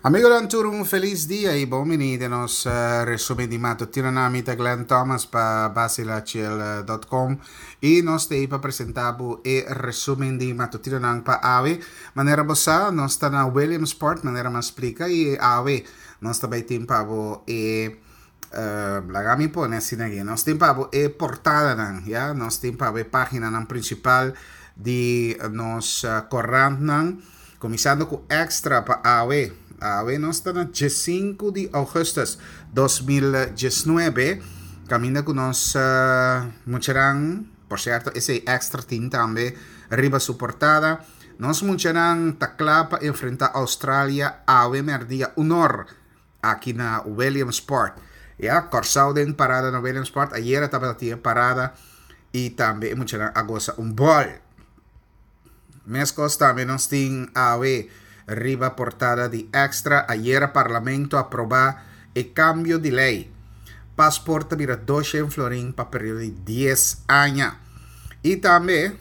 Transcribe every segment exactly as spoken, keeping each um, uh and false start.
Amigonan tur un felis dia y bon bini den nos resumen di matutinonan. Mi ta Glenn Thomas pa basilachel dot com y nos ta pa presenta bo e resumen di matutinonan pa awe. Manera bo sa, nos ta na Williamsport, manera mi a splica, y awe nos ta bay tin pa bo e laga mi pone asina aki, nos tin pa bo e portadanan, ya, nos tin pa bo e paginanan principal di nos corantnan. Kuminsando ku Extra pa awe. Awe nos ta na diesinku di ougùstùs dos mil diesnuebe. Kaminda ku nos muchanan, por sierto esei Extra tin tambe riba su portada. Nos muchanan ta kla pa enfrentá Australia awe mèrdia un or aki na Williamsport. Ya, Kòrsou den parada na Williamsport. Ayera tabata tin e parada i tambe e muchanan a gosa un bòl. Meskos tambe nos tin awe riba portada di Extra, ayera Parlamento aproba e cambio di ley. Paspoort ta bira doshen florin pa periodo di dies aña. Y tambe,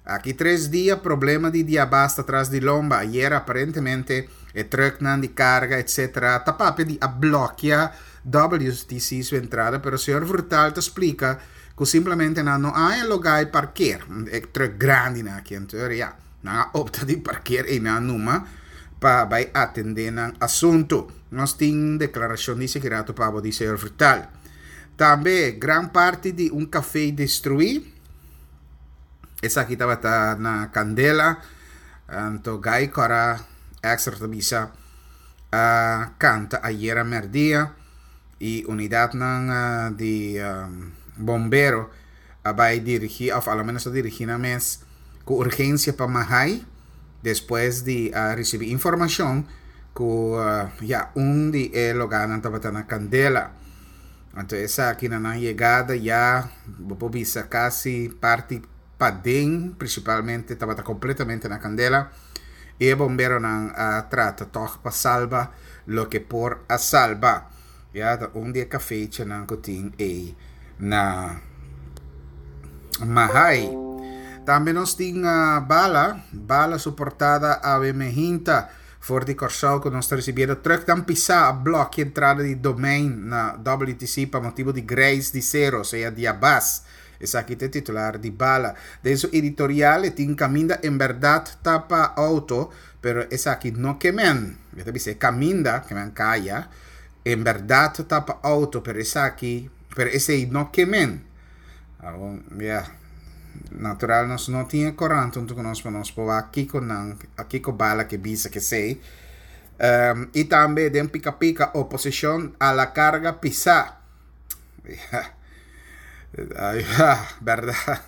aki tres dia problema di diabas ta tras di lomba. Ayera aparentemente e trucknan di carga etcetera ta papia di a blokia W T C su entrada, pero señor Vrutaal ta splica ku simplemente nan no haña lugá e parkeer. E truck grandi nan aki, anto ya, nan a opta di parkeer ei nan numa pa bai atendé nan asuntu. Nos tin deklarashon di Segurato pa bo di señor Vrutaal. Tambe gran parti di un café destruí. Esaki tabata na Candela. Anto Gai Cora Extra ta bisa a canta ayera merdia y unidadnan di bombero a bai dirigí, of a lo menos a dirigí nan mes ku urgencia pa Mahai despues di a ricibi informacion ku ya un di e loganan tabata na Candela. Anto esaki na nan yegada ya bo por bisa casi parti paden principalmente tabata completamente na Candela y e bomberonan a trata toch pa salba loke por a salba. Ya ta un di e cafechanan ku tin ei na Mahai. Tambe nos tin Bala, Bala su portada awe mehinta for di Kòrsou ku nos ta risibiendo truck tan pisá a blòkia entrada di Domein na W T C pa motibu di greis di sero, sea diabas. Esaki ta e titular di Bala. Den su editorial e tin kaminda en bèrdat ta pa outo, pero esaki no ke men. E ta bisa e kaminda, ke men kaya, en bèrdat ta pa outo, pero esaki, pero esei no ke men. Awor, ya, natural nos no tin e korant huntu ku nos pa nos por wak kiko nan, kiko Bala ke bisa ke esei. Um, i tambe den pika pika oposishon a la karga pisá. Ja. Ay, ja, bèrdat.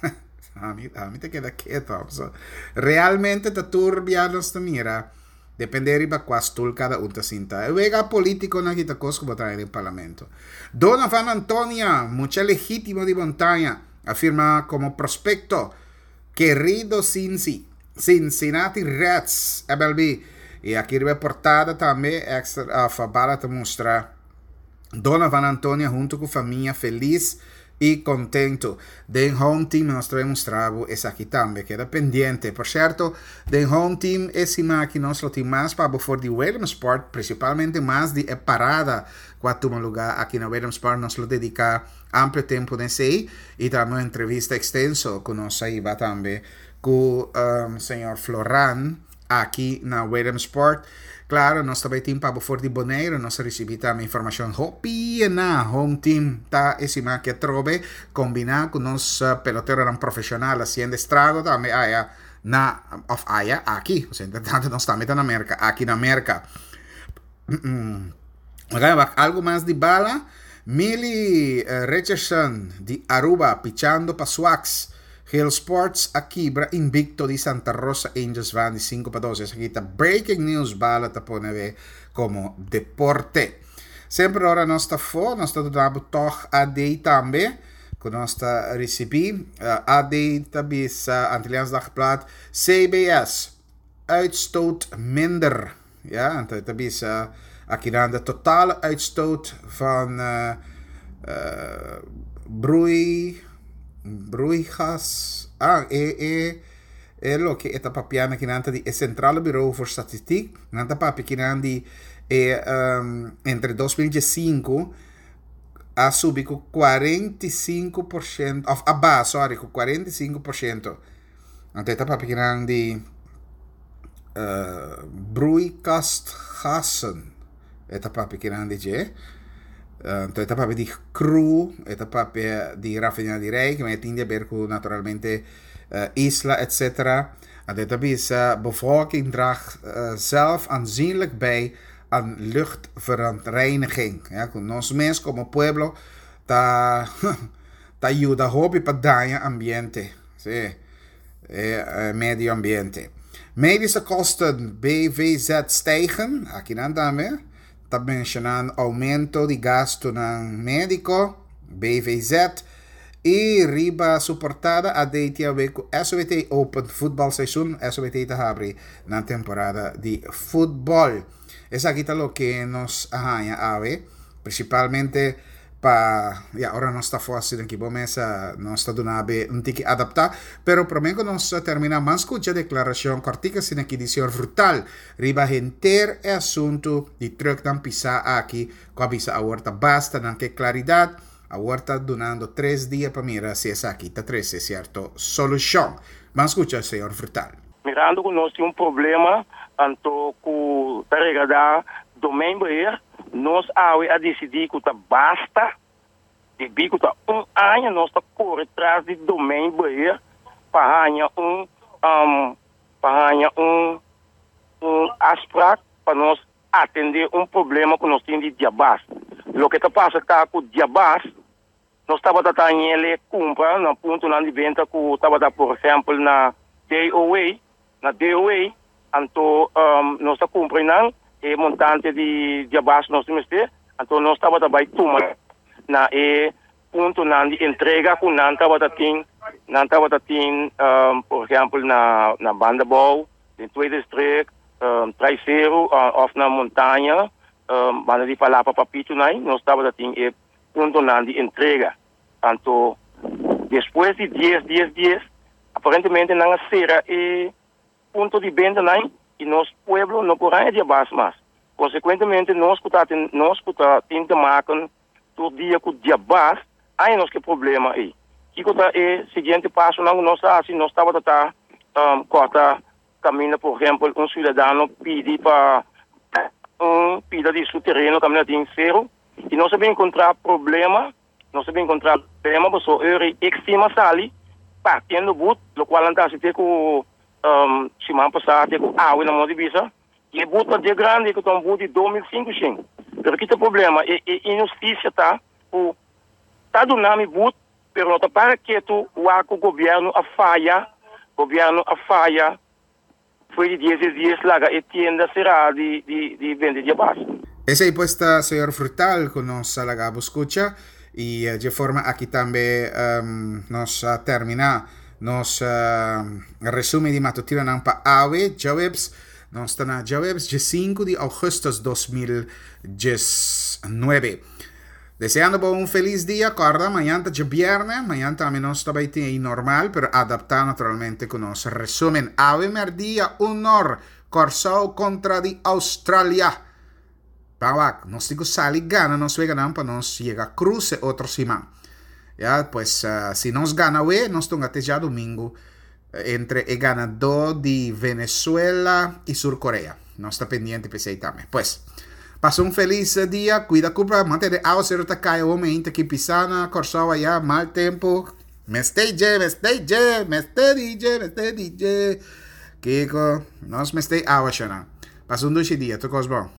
Ami, ami ta keda keto. So, realmente ta turbia nos ta mira. Depende riba kua stul kada un ta sinta. E wega politico na kita kos ku bo trae den parlamento. Donovan Antonia, mucha legítimo di Montaña, afirma como prospecto. Querido Cincy, Cincinnati Reds, M L B. Y aki riba portada tambe, extra, uh, Bala ta mustra Donovan Antonia junto ku familia feliz y contento. Den Home Team nos trae mostrabo esaki tambe, queda pendiente. Por cierto, den Home Team esima aki nos lo tin mas pa bo for di Williamsport, principalmente mas di e parada ku a tuma lugar aki na Williamsport. Nos lo dedica amplio tempo den sei y tambe una entrevista extenso ku nos iba tambe ku, um, señor Floran aki na Williamsport. Claro, nos tambe tin pa bo for di Bonaire, nos recibi tambe informacion hopi na Home Team ta esima que trobe combina con nos, eh, peloteronan profesional haciendo estrago tambe aya na of aya aki, o sea, entre tanto nos tambe ta na Merca, aki na Merca. Mm-mm. Oké, wacht, algo mas di Bala. Millie, eh, Richardson di Aruba pichando pa Swax. Hill Sports a kibra invicto di Santa Rosa Angels van di cinco pa dos. Esaki ta breaking news, Bala ta pone ve como deporte. Sempre ora nos ta fo, nos ta dando toch A D tambe, ku nos ta recibi. Eh, A D ta bisa Antilliaans Dagblad, C B S, uitstoot minder. Ja, en ta bisa aki dan de totale uitstoot van, eh, eh, broei, broeigas, ah, e, e, E loke e ta papiando akinan ta di e Centrale Bureau voor Statistiek. Nan ta papia akinan di e um, entre dos mil diesinku a subi ku kuarenta i sinku porshento, òf a baha, sorry, ku kuarenta i sinku porshento. Anto e ta papia akinan di uh, broeikasgassen. E ta papia akinan di dje. Anto e ta papia di cru, e ta papia di raffinaderij, ku tin di haber ku naturalmente uh, isla, et cetera. Anto e ta bisa: bevolking draagt uh, zelf aanzienlijk bij aan luchtverontreiniging. Ja, ku nos mes komo pueblo ta ta yuda hopi pa daña ambiente. Sí, eh, medio ambiente. Medische kosten B V Z stijgen. Akinan tambe ta menshonando oumento di gastunan médiko, B V Z. I riba su portada A D tin haber ku S O B T Open voetbalseizoen. S O B T ta habri na temporada di futbòl. Esaki ta loke nos a haña awe, prinsipalmente pa ya ora nos ta fásil aki bo mesa nos ta duna un tiki adaptá, pero promé ku nos terminá, ban skucha deklarashon kòrtiku asina aki di señor Vrutaal riba henter e asuntu di trùknan pisá aki, ku a bisa awor ta basta, nan ke klaridat. Awor ta dunando tres dia pa mira si esaki ta trese sierto solushon. Ban skucha señor Vrutaal. Mirando ku nos tin un problema anto ku ta regardá domeinbeheer, nos awe a disidí ku ta basta di ku ta un aña nos ta kore tras di domeinbeheer pa haña un um, pa haña un un afspraak pa nos atendé un problema ku nos tin di diabas. Loke ta pasa ta ku diabas nos tabata hañ'é kumpra na puntonan di benta ku tabata, por ehèmpel, na D O A, na D O A. Anto um, nos ta kumpra e montante di diabas nos mester, anto nos tabata bai tuma na e puntonan di entrega ku nan tabata tin nan tabata tin um, por ehèmpel, na na Bandabou, den Tweede Streek, um, Traiceiro uh, òf na Montaña, um, banda di Palapa Papito nai, nos tabata tin e puntonan di entrega. Anto despues di dies, dies, dies, aparentemente nan a sera e punto di benta nai i nos pueblo no por haña diabas mas. Konsekuentemente, nos ku ta nos ku ta tin te maken tur dia ku diabas, ei nos ke problema ei. Kiko ta e siguiente paso nan nos hasi? Nos tabata ta um, kòrta kaminda, por ehèmpel, un siudadano pidi pa un pida di su tereno kaminda tin seru i nos a bin enkontrá problema, nos a bin enkontrá problema, paso e estima sali partiendo but, lokual ta hasi ku um, siman pasá ku awe na moda bisa i e but ta grandi ku ta un but di dos mil sinkushentos. Pero kiko ta e problema? E, e inhustisia ta ku ta duna mi but, pero no ta para ketu ku gobièrnu a faya, gobièrnu a faya, for di dies dies laga e tienda será di di di bende diabas. Esei pues ta señor Vrutaal ku nos a laga skucha i di forma aki tambe um, nos a terminá nos uh, resumen di matutinonan pa awe, djaweps, nos ta na djaweps, sinku di ougùstùs dos mil diesnuebe. Deseando un felis dia, kòrda, mañan ta djabièrnè, mañan tambe nos tambe tin normal, pero adaptá naturalmente ku nos resumen. Awe mèrdia, un or, Kòrsou kontra di Australia. Ban wak, nos tin ku sali gana, nos gana pa nos yega kruse otro siman. Ya, pues uh, si nos gana awe, nos ta te djadumingu entre e ganadó di Venezuela i Sur Corea. Nos ta pendiente pa esei tambe. Pues, pasa un felis dia, kuida kurpa, mantené áwaseru ta kai momento aki pisá na Kòrsou aya, mal tempu. Mester dje, mester dje, mester dje, mester dje. Kiko, nos mester awa. Pasa un dushi dia, tur kos bon.